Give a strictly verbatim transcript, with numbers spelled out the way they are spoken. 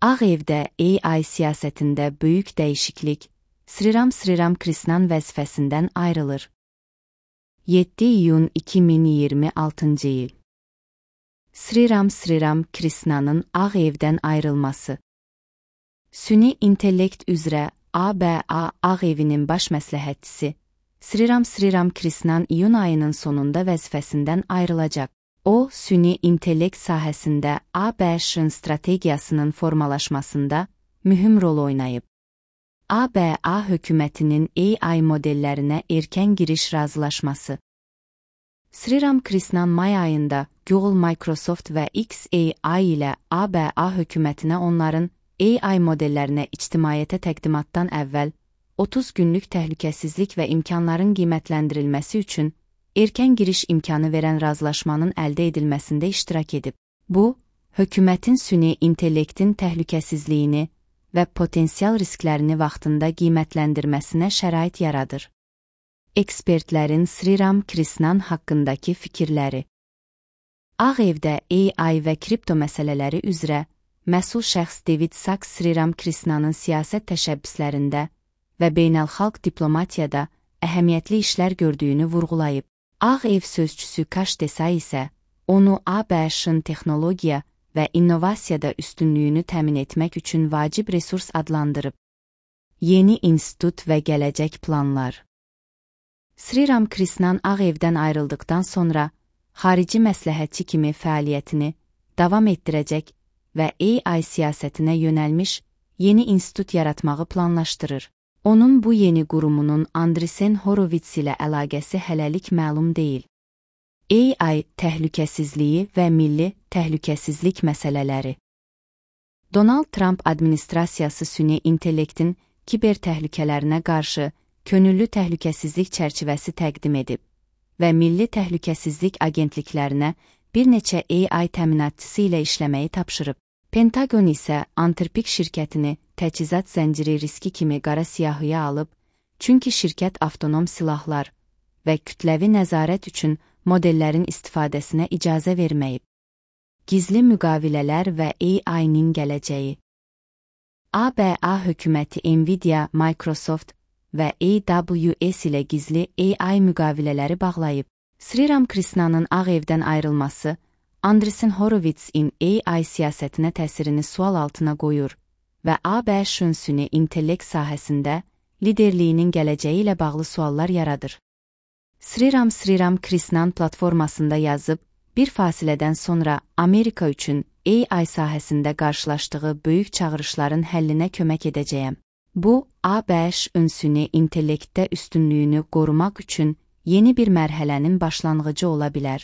Ağ Evdə A I siyasətində böyük dəyişiklik, Sriram Sriram Krishnan vəzifəsindən ayrılır. yeddi iyun iki min iyirmi altıncı il. Sriram Sriram Krishnanın Ağ Evdən ayrılması. Süni intellekt üzrə A B A Ağ Evinin baş məsləhətçisi Sriram Sriram Krishnan iyun ayının sonunda vəzifəsindən ayrılacaq. O, süni intellekt sahəsində A B Ş-ın strategiyasının formalaşmasında mühüm rol oynayıb. A B A hökumətinin A I modellərinə erkən giriş razılaşması. Sriram Krishnan may ayında Google, Microsoft və X A I ilə A B A hökumətinə onların A I modellərinə ictimaiyyətə təqdimatdan əvvəl otuz günlük təhlükəsizlik və imkanların qiymətləndirilməsi üçün erkən giriş imkanı verən razılaşmanın əldə edilməsində iştirak edib. Bu, hökumətin süni intellektin təhlükəsizliyini və potensial risklərini vaxtında qiymətləndirməsinə şərait yaradır. Ekspertlərin Sriram Krishnan haqqındakı fikirləri. Ağ Evdə A I və kripto məsələləri üzrə məsul şəxs David Sacks Sriram Krishnanın siyasət təşəbbüslərində və beynəlxalq diplomatiyada əhəmiyyətli işlər gördüyünü vurğulayıb. Ağ Ev sözçüsü Kash Desai isə onu A B Ş-ın texnologiya və innovasiyada üstünlüyünü təmin etmək üçün vacib resurs adlandırıb. Yeni institut və gələcək planlar. Sriram Krishnan Ağ Evdən ayrıldıqdan sonra xarici məsləhətçi kimi fəaliyyətini davam etdirəcək və A I siyasətinə yönəlmiş yeni institut yaratmağı planlaşdırır. Onun bu yeni qurumunun Andresen Horowitz ilə əlaqəsi hələlik məlum deyil. A I təhlükəsizliyi və milli təhlükəsizlik məsələləri. Donald Trump administrasiyası süni intellektin kiber təhlükələrinə qarşı könüllü təhlükəsizlik çərçivəsi təqdim edib və Milli Təhlükəsizlik Agentliklərinə bir neçə A I təminatçısı ilə işləməyi tapşırıb. Pentagon isə Anthropic şirkətini təchizat zənciri riski kimi qara siyahıya alıb, çünki şirkət avtonom silahlar və kütləvi nəzarət üçün modellərin istifadəsinə icazə verməyib. Gizli müqavilələr və A I-nin gələcəyi. A B A hökuməti Nvidia, Microsoft və A W S ilə gizli A I müqavilələri bağlayıb. Sriram Krishnanın Ağ Evdən ayrılması Andresen Horowitz'in A I siyasətinə təsirini sual altına qoyur və A B Ş-ın süni intellekt sahəsində liderliyinin gələcəyi ilə bağlı suallar yaradır. Sriram Sriram Krishnan platformasında yazıb, bir fasilədən sonra Amerika üçün A I sahəsində qarşılaşdığı böyük çağırışların həllinə kömək edəcəyəm. Bu, A B Ş-ın süni intellektdə üstünlüyünü qorumaq üçün yeni bir mərhələnin başlanğıcı ola bilər.